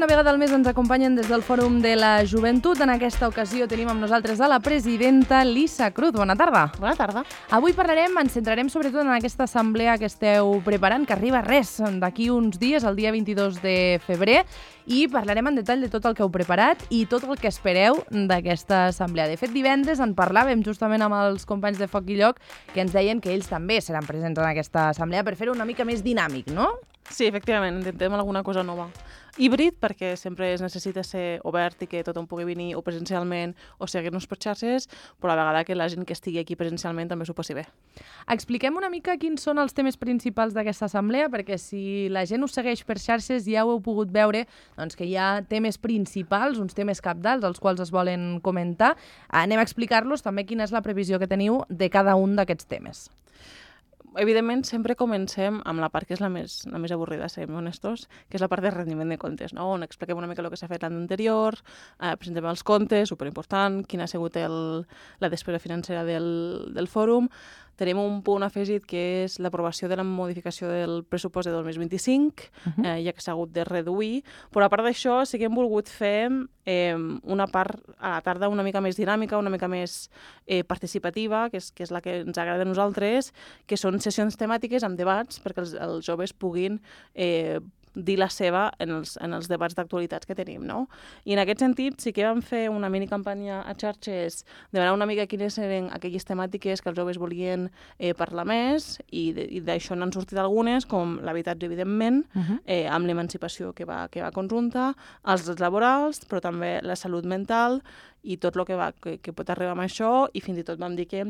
vegada al mes ens acompanyen des del Fòrum de la Joventut. En aquesta ocasió tenim amb nosaltres a la presidenta Lisa Cruz. Bona tarda. Bona tarda. Avui ens centrarem sobretot en aquesta assemblea que esteu preparant, que arriba d'aquí uns dies, el dia 22 de febrer, i parlarem en detall de tot el que heu preparat i tot el que espereu d'aquesta assemblea. De fet, divendres en parlàvem justament amb els companys de Foc i Lloc, que ens deien que ells també seran presents en aquesta assemblea per fer-ho una mica més dinàmic, no? Sí, efectivament, intentem alguna cosa nova. Híbrid, perquè sempre es necessita ser obert i que tothom pugui venir o presencialment o seguir-nos per xarxes, però a la vegada que la gent que estigui aquí presencialment també s'ho passi bé. Expliquem una mica quins són els temes principals d'aquesta assemblea, perquè si la gent us segueix per xarxes ja ho heu pogut veure doncs, que hi ha temes principals, uns temes cabdals, els quals es volen comentar. Anem a explicar-los també quina és la previsió que teniu de cada un d'aquests temes. Evidentment, sempre comencem amb la part que és la més avorrida, siguem honestos, que és la part de rendiment de comptes, no? On expliquem una mica el que s'ha fet l'any anterior, presentem els comptes, superimportant, quina ha sigut la despesa financera del fòrum. Tenim un punt afegit que és l'aprovació de la modificació del pressupost de 2025, ja que s'ha hagut de reduir, però a part d'això sí que hem volgut fer una part a la tarda una mica més dinàmica, una mica més participativa, que és la que ens agrada a nosaltres, que són sessions temàtiques amb debats perquè els joves puguin dir la seva en els debats d'actualitats que tenim, no? I en aquest sentit sí que vam fer una minicampanya a xarxes demanar una mica quines eren aquelles temàtiques que els joves volien parlar més i d'això n'han sortit algunes, com l'habitatge, evidentment, amb l'emancipació que va conjunta, els drets laborals, però també la salut mental i tot el que pot arribar amb això, i fins i tot vam dir que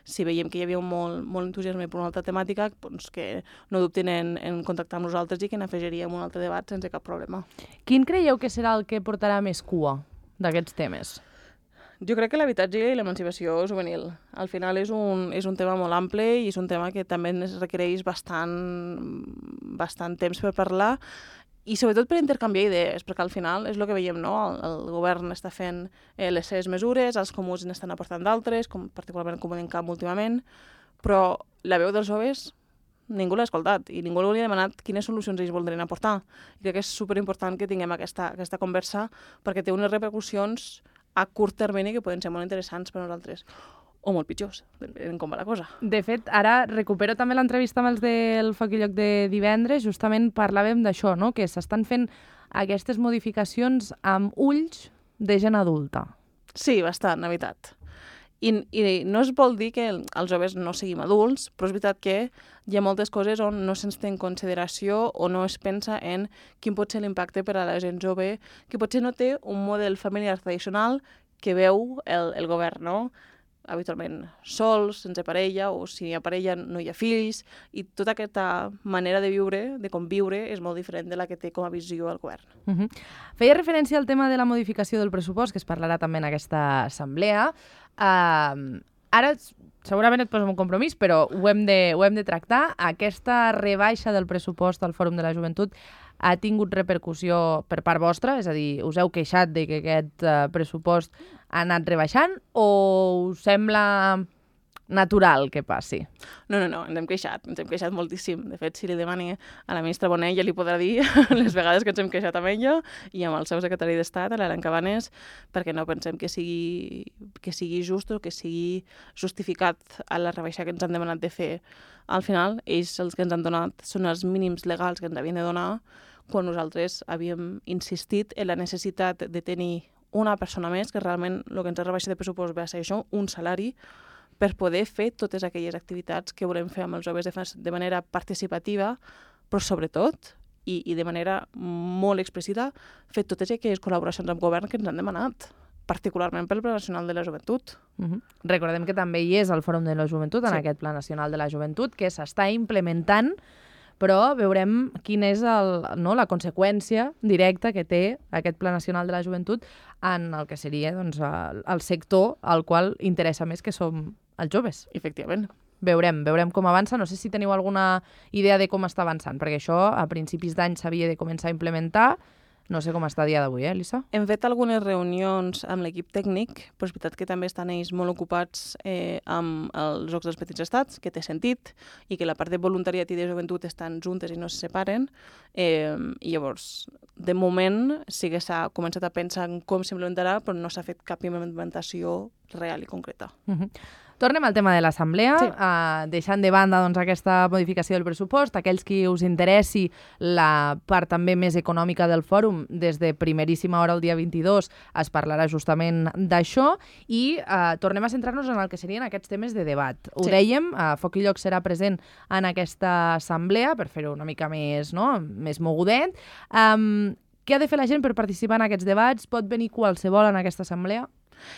si veiem que hi havia molt entusiasme per una altra temàtica, doncs que no dubtin en contactar amb nosaltres i que n'afegiríem un altre debat sense cap problema. Quin creieu que serà el que portarà més cua d'aquests temes? Jo crec que l'habitatge i l'emancipació juvenil. Al final és un tema molt ample i és un tema que també es requereix bastant temps per parlar i sobretot per intercanviar idees, perquè al final és el que veiem, no? El govern està fent les seves mesures, els comuns n'estan aportant d'altres, particularment Comunicam últimament, però la veu dels joves ningú l'ha escoltat i ningú li ha demanat quines solucions ells voldrien aportar. I crec que és superimportant que tinguem aquesta conversa perquè té unes repercussions a curt termini que poden ser molt interessants per a nosaltres. O molt pitjors, en com va la cosa. De fet, ara recupero també l'entrevista amb els del Foc i Lloc de divendres, justament parlàvem d'això, no? Que s'estan fent aquestes modificacions amb ulls de gent adulta. Sí, bastant, la veritat. I no es vol dir que els joves no siguin adults, però és veritat que hi ha moltes coses on no se'ns té en consideració o no es pensa en quin pot ser l'impacte per a la gent jove, que potser no té un model familiar tradicional que veu el govern, no? Habitualment sols, sense parella, o si hi ha parella no hi ha fills, i tota aquesta manera de viure, de conviure, és molt diferent de la que té com a visió el govern. Feia referència al tema de la modificació del pressupost, que es parlarà també en aquesta assemblea. Ara segurament et poso un compromís, però ho hem de tractar. Aquesta rebaixa del pressupost al Fòrum de la Joventut ha tingut repercussió per part vostra? És a dir, us heu queixat de que aquest pressupost ha anat rebaixant o us sembla natural que passi? No, ens hem queixat moltíssim. De fet, si li demani a la ministra Bonet, ja li podrà dir les vegades que ens hem queixat amb ella i amb el seu secretari d'Estat, l'Aran Cabanes, perquè no pensem que sigui just o que sigui justificat a la rebaixa que ens han demanat de fer. Al final, ells els que ens han donat són els mínims legals que ens havien de donar quan nosaltres havíem insistit en la necessitat de tenir una persona més, que realment el que ens ha rebaixat de pressupost va ser això, un salari, per poder fer totes aquelles activitats que volem fer amb els joves de manera participativa, però sobretot, i de manera molt explícita, fer totes aquelles col·laboracions amb govern que ens han demanat, particularment pel Pla Nacional de la Joventut. Recordem que també hi és el Fòrum de la Joventut, en aquest Pla Nacional de la Joventut, que s'està implementant, però veurem quina és la conseqüència directa que té aquest Pla Nacional de la Joventut en el que seria el sector al qual interessa més, que som els joves. Efectivament. Veurem com avança. No sé si teniu alguna idea de com està avançant, perquè això a principis d'any s'havia de començar a implementar. No sé com està a dia d'avui, Elisa? Hem fet algunes reunions amb l'equip tècnic, però és veritat que també estan ells molt ocupats amb els Jocs dels Petits Estats, que té sentit, i que la part de voluntariat i de joventut estan juntes i no se separen. I llavors, de moment, sí que s'ha començat a pensar en com s'implementarà, però no s'ha fet cap implementació real i concreta. Tornem al tema de l'assemblea, deixant de banda aquesta modificació del pressupost. Aquells qui us interessi la part també més econòmica del fòrum, des de primeríssima hora el dia 22 es parlarà justament d'això i tornem a centrar-nos en el que serien aquests temes de debat. Ho dèiem, Foc i Lloc serà present en aquesta assemblea per fer-ho una mica més, més mogudet. Què ha de fer la gent per participar en aquests debats? Pot venir qualsevol en aquesta assemblea?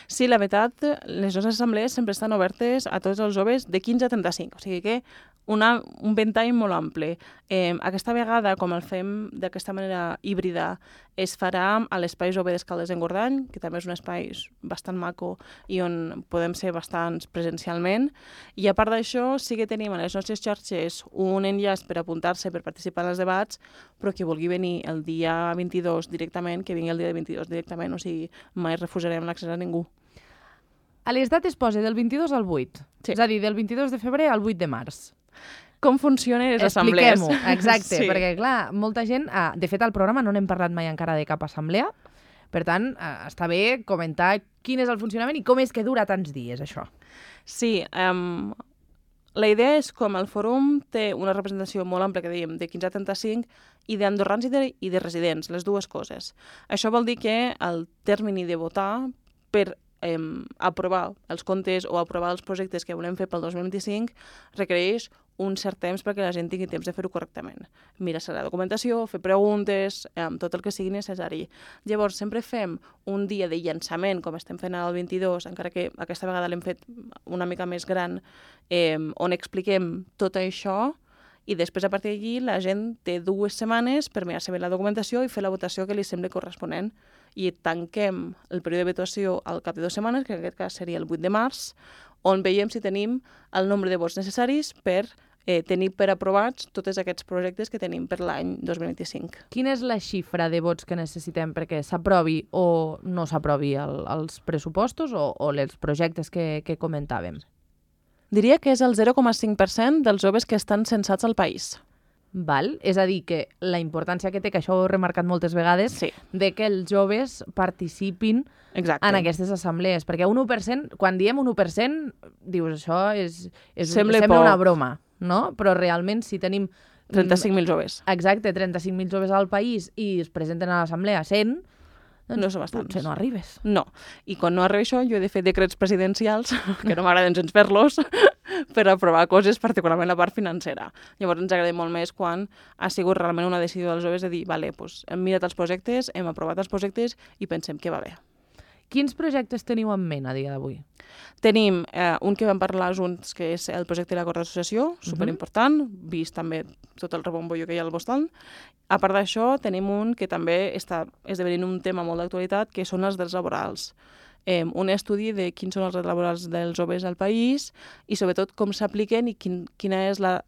Sí, la veritat, les nostres assemblees sempre estan obertes a tots els joves de 15 a 35, o sigui que un ventall molt ample. Aquesta vegada, com el fem d'aquesta manera híbrida, es farà a l'Espai Jove d'Escaldes d'Engordany, que també és un espai bastant maco i on podem ser bastants presencialment. I a part d'això, sí que tenim a les nostres xarxes un enllaç per apuntar-se per participar en els debats, però qui vulgui venir el dia 22 directament, que vingui el dia 22 directament, o sigui, mai refusarem l'accés a ningú. A les dates posa del 22 al 8, és a dir, del 22 de febrer al 8 de març. Com funcionen les assemblees. Expliquem-ho, exacte, perquè clar, molta gent... De fet, al programa no n'hem parlat mai encara de cap assemblea, per tant, està bé comentar quin és el funcionament i com és que dura tants dies, això. Sí, la idea és com el fòrum té una representació molt àmplia, que dèiem, de 15 a 35, i d'andorrans i de residents, les dues coses. Això vol dir que el termini de votar per aprovar els comptes o aprovar els projectes que volem fer pel 2025 requereix un cert temps perquè la gent tingui temps de fer-ho correctament. Mirar-se la documentació, fer preguntes, tot el que sigui necessari. Llavors, sempre fem un dia de llançament, com estem fent ara el 22, encara que aquesta vegada l'hem fet una mica més gran, on expliquem tot això, i després, a partir d'allí, la gent té 2 setmanes per mirar-se bé la documentació i fer la votació que li sembli corresponent. I tanquem el període de votació al cap de 2 setmanes, que en aquest cas seria el 8 de març, on veiem si tenim el nombre de vots necessaris per tenir per aprovats tots aquests projectes que tenim per l'any 2025. Quina és la xifra de vots que necessitem perquè s'aprovi o no s'aprovi els pressupostos o els projectes que comentàvem? Diria que és el 0,5% dels joves que estan censats al país. Val? És a dir, que la importància que té, que això ho he remarcat moltes vegades, de que els joves participin en aquestes assemblees. Perquè un 1%, quan diem un 1%, dius, això sembla una broma, no? Però realment, si tenim 35.000 joves. Exacte, 35.000 joves al país i es presenten a l'assemblea 100, doncs no són bastants. Potser no arribes. No. I quan no arriba això, jo he de fer decrets presidencials, que no m'agraden gens fer-los, per aprovar coses, particularment la part financera. Llavors ens agrada molt més quan ha sigut realment una decisió dels joves de dir, vale, doncs hem mirat els projectes, hem aprovat els projectes i pensem que va bé. Quins projectes teniu en ment a dia d'avui? Tenim un que vam parlar junts, que és el projecte de l'acord d'associació, superimportant, vist també tot el rebombollo que hi ha al voltant. A part d'això, tenim un que també està esdevenint un tema molt d'actualitat, que són els drets laborals. Un estudi de quins són els drets laborals dels joves al país i sobretot com s'apliquen i quina és la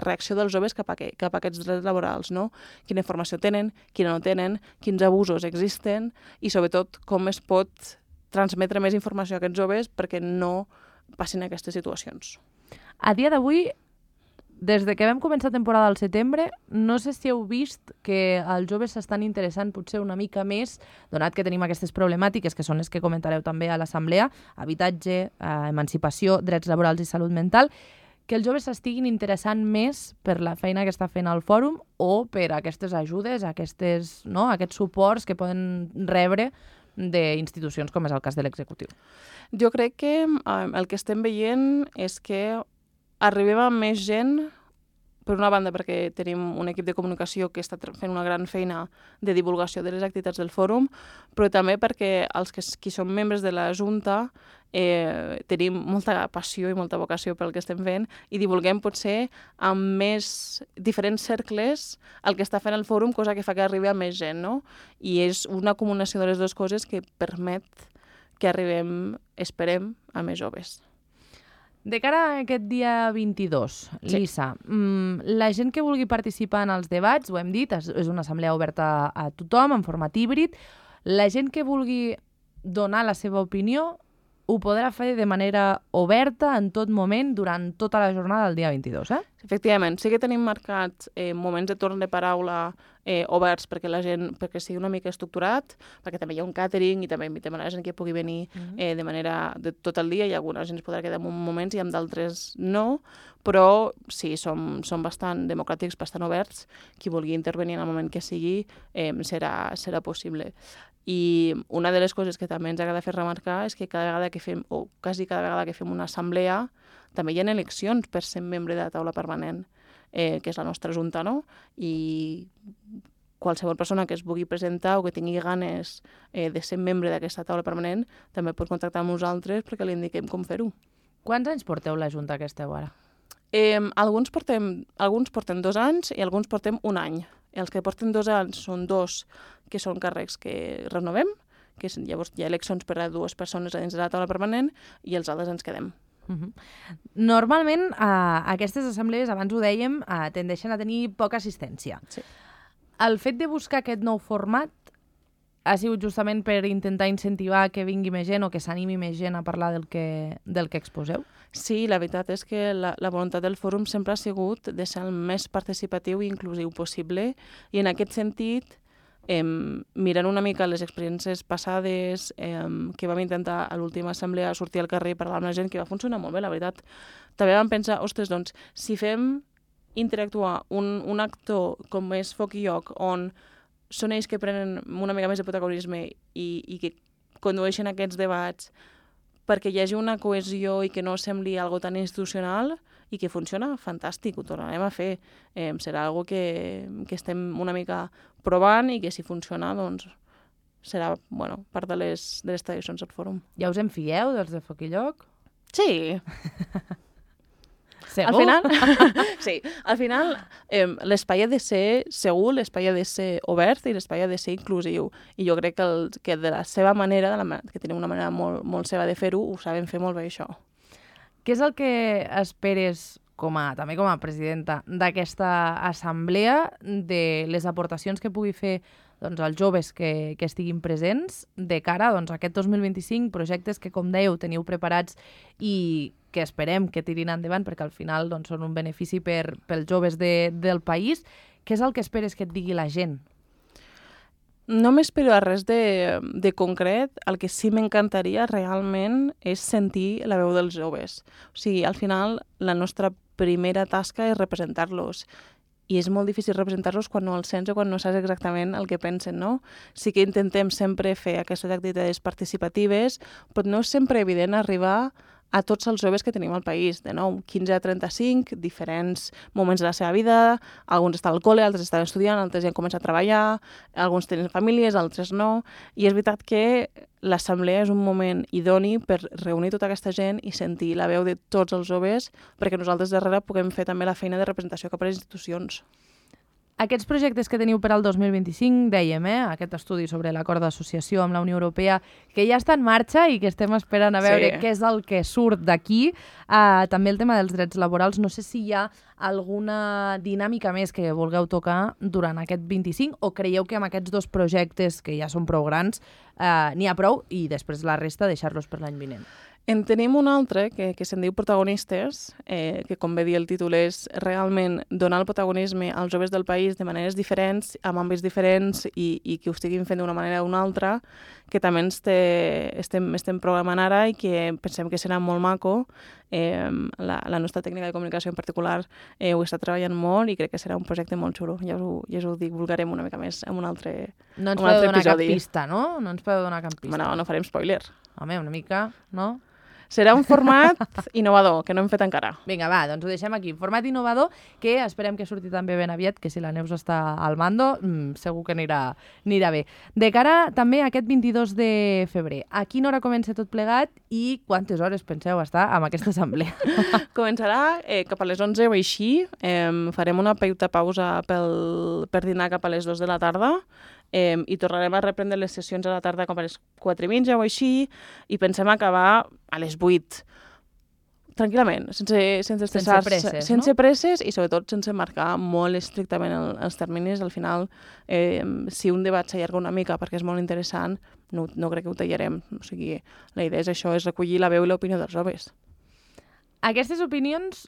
reacció dels joves cap a aquests drets laborals, no? Quina informació tenen, quina no tenen, quins abusos existen i sobretot com es pot transmetre més informació a aquests joves perquè no passin aquestes situacions. A dia d'avui, des de que vam començar temporada al setembre, no sé si heu vist que els joves s'estan interessant potser una mica més, donat que tenim aquestes problemàtiques, que són les que comentareu també a l'assemblea, habitatge, emancipació, drets laborals i salut mental, que els joves s'estiguin interessant més per la feina que està fent el fòrum o per aquestes ajudes, aquests suports que poden rebre d'institucions com és el cas de l'executiu. Jo crec que el que estem veient és que arribem a més gent, per una banda perquè tenim un equip de comunicació que està fent una gran feina de divulgació de les activitats del fòrum, però també perquè els qui som membres de la Junta tenim molta passió i molta vocació pel que estem fent i divulguem potser amb més diferents cercles el que està fent el fòrum, cosa que fa que arribi a més gent, no? I és una combinació de les dues coses que permet que arribem, esperem, a més joves. De cara a aquest dia 22, Lisa, la gent que vulgui participar en els debats, ho hem dit, és una assemblea oberta a tothom, en format híbrid. La gent que vulgui donar la seva opinió ho podrà fer de manera oberta en tot moment durant tota la jornada del dia 22, eh? Efectivament, sí que tenim marcats moments de torn de paraula oberts perquè sigui una mica estructurat, perquè també hi ha un càtering i també invitem a la gent que pugui venir de manera de tot el dia, i alguna gent es podrà quedar en moments i en d'altres no, però sí, som bastant democràtics, bastant oberts. Qui vulgui intervenir en el moment que sigui serà possible. I una de les coses que també ens agrada fer remarcar és que cada vegada que fem, o quasi cada vegada que fem una assemblea, també hi ha eleccions per ser membre de la taula permanent, que és la nostra junta, no? I qualsevol persona que es vulgui presentar o que tingui ganes de ser membre d'aquesta taula permanent també pot contactar amb nosaltres perquè li indiquem com fer-ho. Quants anys porteu la junta que esteu ara? Alguns portem 2 anys i alguns portem 1 any. Els que porten 2 anys són 2 que són càrrecs que renovem, que llavors hi ha eleccions per a 2 persones a dins de la taula permanent i els altres ens quedem. Normalment, aquestes assemblees, abans ho dèiem, tendeixen a tenir poca assistència. Sí. El fet de buscar aquest nou format ha sigut justament per intentar incentivar que vingui més gent o que s'animi més gent a parlar del que exposeu? Sí, la veritat és que la voluntat del fòrum sempre ha sigut de ser el més participatiu i inclusiu possible, i en aquest sentit, mirant una mica les experiències passades que vam intentar a l'última assemblea sortir al carrer i parlar amb la gent, que va funcionar molt bé, la veritat. També vam pensar, ostres, doncs, si fem interactuar un actor com és Foc i Lloc, on són ells que prenen una mica més de protagonisme i que condueixen aquests debats perquè hi hagi una cohesió i que no sembli algo tan institucional i que funciona, fantàstic, ho tornarem a fer. Serà algo que estem una mica provant i que si funciona, doncs, serà part de les tradicions del fòrum. Ja us en fieu dels de Foc i Lloc? Sí. Segur? Al final, sí, al final l'espai ha de ser segur, l'espai ha de ser obert i l'espai ha de ser inclusiu. I jo crec que de la seva manera, que tenim una manera molt seva de fer-ho, ho sabem fer molt bé, això. Què és el que esperes, també com a presidenta d'aquesta assemblea, de les aportacions que pugui fer els joves que estiguin presents de cara a aquest 2025, projectes que, com dèieu, teniu preparats i que esperem que tirin endavant perquè al final són un benefici pels joves del país? Què és el que esperes que et digui la gent? No m'espero a res de concret. El que sí m'encantaria realment és sentir la veu dels joves. O sigui, al final, la nostra primera tasca és representar-los. I és molt difícil representar-los quan no els sents o quan no saps exactament el que pensen, no? Sí que intentem sempre fer aquestes activitats participatives, però no és sempre evident arribar a tots els joves que tenim al país, de 15 a 35, diferents moments de la seva vida, alguns estan al col·le, altres estan estudiant, altres ja han començat a treballar, alguns tenen famílies, altres no, i és veritat que l'assemblea és un moment idoni per reunir tota aquesta gent i sentir la veu de tots els joves, perquè nosaltres darrere puguem fer també la feina de representació cap a les institucions. Aquests projectes que teniu per al 2025, dèiem, aquest estudi sobre l'acord d'associació amb la Unió Europea, que ja està en marxa i que estem esperant a veure què és el que surt d'aquí. També el tema dels drets laborals. No sé si hi ha alguna dinàmica més que vulgueu tocar durant aquest 25 o creieu que amb aquests 2 projectes, que ja són prou grans, n'hi ha prou i després la resta deixar-los per l'any vinent? En tenim un altre que se'n diu Protagonistes, que com bé dir el títol és realment donar el protagonisme als joves del país de maneres diferents, amb àmbits diferents i que ho estiguin fent d'una manera o d'una altra, que també estem programant ara i que pensem que serà molt maco. La nostra tècnica de comunicació en particular ho està treballant molt i crec que serà un projecte molt xulo. Ja us ho divulgarem una mica més en un altre episodi. No ens podeu donar cap pista, no? No ens podeu donar cap pista. No farem spoiler. Home, una mica, no? Serà un format innovador, que no hem fet encara. Vinga, va, doncs ho deixem aquí. Format innovador que esperem que surti també ben aviat, que si la Neus està al mando, segur que anirà bé. De cara també a aquest 22 de febrer, a quina hora comença tot plegat i quantes hores penseu estar amb aquesta assemblea? Començarà cap a les 11 o així. Farem una petita pausa per dinar cap a les 2 de la tarda. I tornarem a reprendre les sessions a la tarda com a les 4:30 o així, i pensem acabar a les 8. tranquil·lament, sense estressar-se, presses, sense no? presses i sobretot sense marcar molt estrictament els terminis. Al final, si un debat s'allarga una mica perquè és molt interessant, no crec que ho tallarem. O sigui, la idea és això, és recollir la veu i l'opinió dels joves. Aquestes opinions,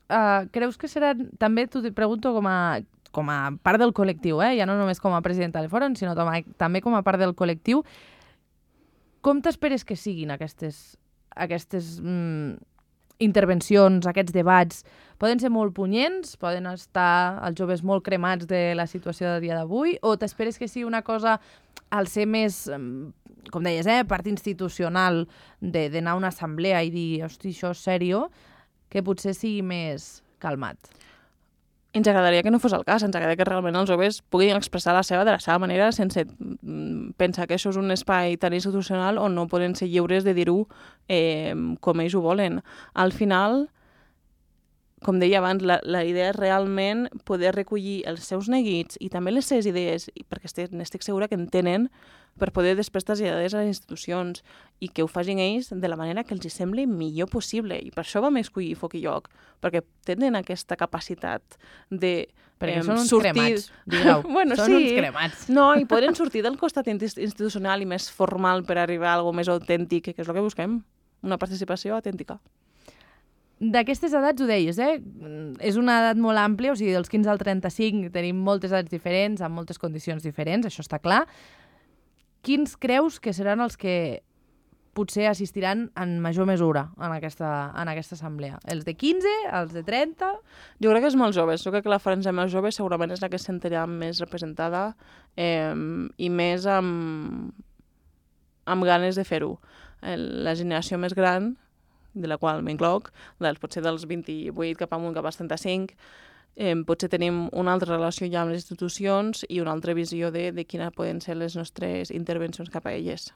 creus que seran, també t'ho pregunto com a part del col·lectiu, ja no només com a presidenta del fòrum, sinó també com a part del col·lectiu, com t'esperes que siguin aquestes intervencions, aquests debats? Poden ser molt punyents, poden estar els joves molt cremats de la situació del dia d'avui, o t'esperes que sigui una cosa al ser més, com deies, part institucional d'anar a una assemblea i dir, hosti, això és sèrio, que potser sigui més calmat? Ens agradaria que no fos el cas, ens agradaria que realment els joves puguin expressar de la seva manera sense pensar que això és un espai tan institucional on no poden ser lliures de dir-ho com ells ho volen. Al final, com deia abans, la idea és realment poder recollir els seus neguits i també les seves idees, perquè n'estic segura que en tenen, per poder després traslladar-les a les institucions i que ho facin ells de la manera que els hi sembli millor possible. I per això vam escollir Foc i Lloc, perquè tenen aquesta capacitat de perquè són uns sortir... cremats, digueu. Bueno, són uns cremats. No, i poden sortir del costat institucional i més formal per arribar a alguna més autèntic, que és el que busquem, una participació autèntica. D'aquestes edats ho deies, és una edat molt àmplia, o sigui, dels 15 al 35 tenim moltes edats diferents, amb moltes condicions diferents, això està clar. Quins creus que seran els que potser assistiran en major mesura en aquesta assemblea? Els de 15, els de 30? Jo crec que és molt joves. Jo crec que la franja més jove segurament és la que es sentirà més representada i més amb ganes de fer-ho. La generació més gran, de la qual m'incloc, potser dels 28 cap amunt, cap als 35, potser tenim una altra relació ja amb les institucions i una altra visió de quines poden ser les nostres intervencions cap a elles.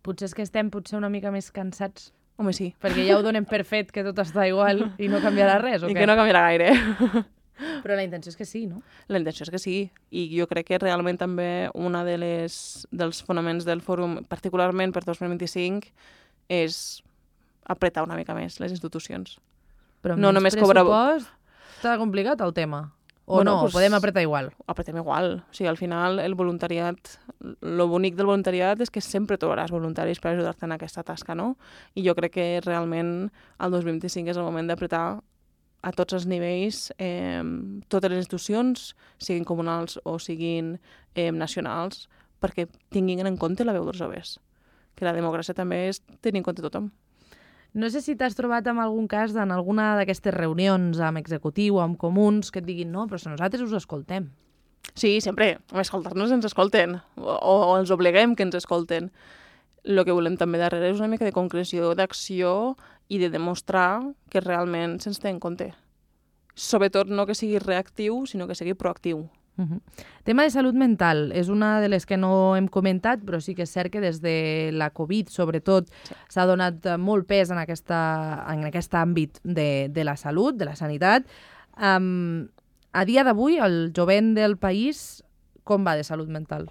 Potser és que estem una mica més cansats. Home, sí. Perquè ja ho donem per fet que tot està igual i no canviarà res, o què? I que no canviarà gaire. Però la intenció és que sí, no? La intenció és que sí. I jo crec que realment també una dels fonaments del fòrum, particularment per 2025, és apretar una mica més les institucions. Però amb menys pressupost està complicat el tema. O bueno, no, pues, podem apretar igual? Apretem igual. O sigui, al final, el voluntariat, lo bonic del voluntariat és que sempre trobaràs voluntaris per ajudar-te en aquesta tasca, no? I jo crec que realment el 2025 és el moment d'apretar a tots els nivells, totes les institucions, siguin comunals o siguin nacionals, perquè tinguin en compte la veu dels joves. Que la democràcia també és tenir en compte tothom. No sé si t'has trobat en algun cas en alguna d'aquestes reunions amb executiu o amb comuns que et diguin no, però si nosaltres us escoltem. Sí, sempre. Escoltar-nos ens escolten o els obliguem que ens escolten. El que volem també darrere és una mica de concreció, d'acció i de demostrar que realment se'ns té en compte. Sobretot no que sigui reactiu, sinó que sigui proactiu. Tema de salut mental, és una de les que no hem comentat, però sí que és cert que des de la Covid, sobretot, s'ha donat molt pes en aquest àmbit de la salut, de la sanitat. A dia d'avui, el jovent del país, com va de salut mental?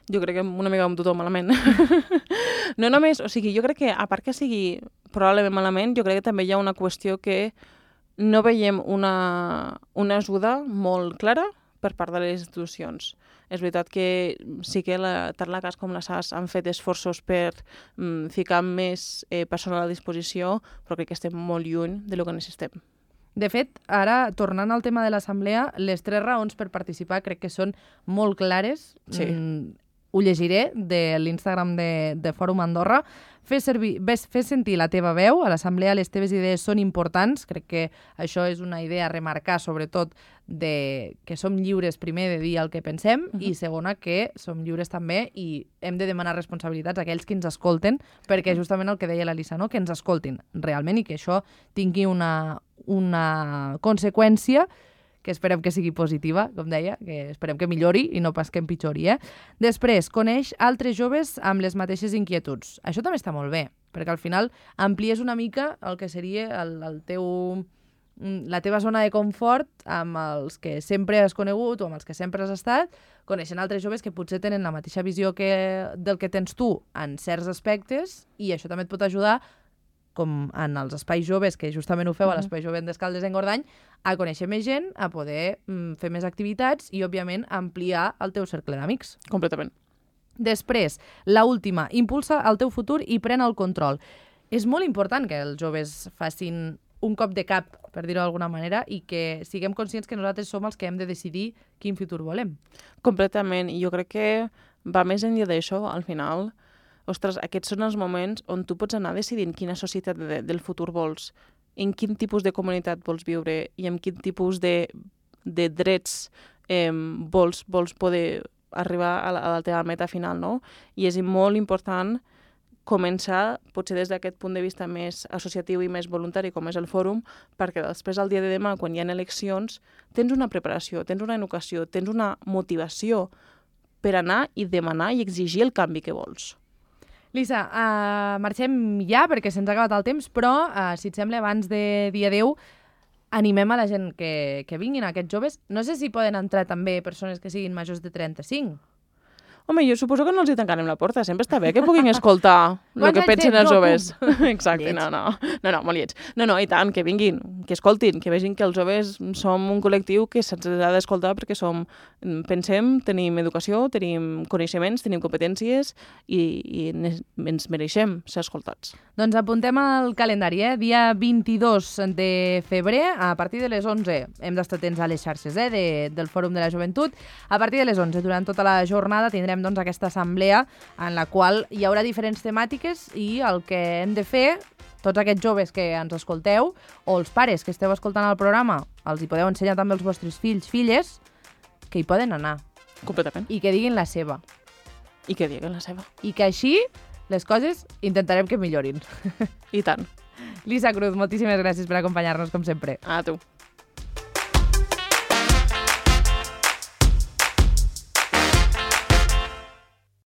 Jo crec que una mica amb tothom malament. No només, o sigui, jo crec que, a part que sigui probablement malament, jo crec que també hi ha una qüestió que no veiem una ajuda molt clara per part de les institucions. És veritat que sí que tant la CAS com la SAS han fet esforços per ficar més personal a disposició, però crec que estem molt lluny de lo que necessitem. De fet, ara, tornant al tema de l'assemblea, les 3 raons per participar crec que són molt clares. Sí. Ho llegiré de l'Instagram de Fòrum Andorra. Fes sentir la teva veu. A l'assemblea les teves idees són importants. Crec que això és una idea a remarcar, sobretot, que som lliures, primer, de dir el que pensem, i segona, que som lliures també i hem de demanar responsabilitats a aquells que ens escolten, perquè justament el que deia l'Elisa, no? Que ens escoltin realment i que això tingui una conseqüència que esperem que sigui positiva, com deia, que esperem que millori i no pas que empitjori. Després, coneix altres joves amb les mateixes inquietuds. Això també està molt bé, perquè al final amplies una mica el que seria la teva zona de confort amb els que sempre has conegut o amb els que sempre has estat, coneixent altres joves que potser tenen la mateixa visió del que tens tu en certs aspectes, i això també et pot ajudar com en els espais joves, que justament ho feu a l'Espai Jove d'Escaldes-Engordany, a conèixer més gent, a poder fer més activitats i, òbviament, ampliar el teu cercle d'amics. Completament. Després, la última, impulsa el teu futur i pren el control. És molt important que els joves facin un cop de cap, per dir-ho d'alguna manera, i que siguem conscients que nosaltres som els que hem de decidir quin futur volem. Completament. I jo crec que va més enllà d'això, al final. Ostres, aquests són els moments on tu pots anar decidint quina societat del futur vols, en quin tipus de comunitat vols viure i en quin tipus de drets vols poder arribar a la teva meta final, no? I és molt important començar, potser des d'aquest punt de vista més associatiu i més voluntari, com és el fòrum, perquè després, al dia de demà, quan hi ha eleccions, tens una preparació, tens una educació, tens una motivació per anar i demanar i exigir el canvi que vols. Lisa, marxem ja perquè se'ns ha acabat el temps, però, si et sembla, abans de dir adeu, animem a la gent que vinguin, aquests joves. No sé si poden entrar també persones que siguin majors de 35. Home, jo suposo que no els hi tancarem la porta. Sempre està bé que puguin escoltar el que pensen els joves. Exacte, no, molt lleig. No, i tant, que vinguin, que escoltin, que vegin que els joves som un col·lectiu que se'ns ha d'escoltar perquè pensem, tenim educació, tenim coneixements, tenim competències i ens mereixem ser escoltats. Doncs apuntem al calendari, dia 22 de febrer, a partir de les 11. Hem d'estar atents a les xarxes del Fòrum de la Joventut. A partir de les 11, durant tota la jornada, tindrem aquesta assemblea en la qual hi haurà diferents temàtiques i el que hem de fer, tots aquests joves que ens escolteu, o els pares que esteu escoltant el programa, els hi podeu ensenyar també als vostres fills, filles, que hi poden anar. Completament. I que diguin la seva. I que diguin la seva. I que així les coses intentarem que millorin. I tant. Lisa Cruz, moltíssimes gràcies per acompanyar-nos, com sempre. A tu.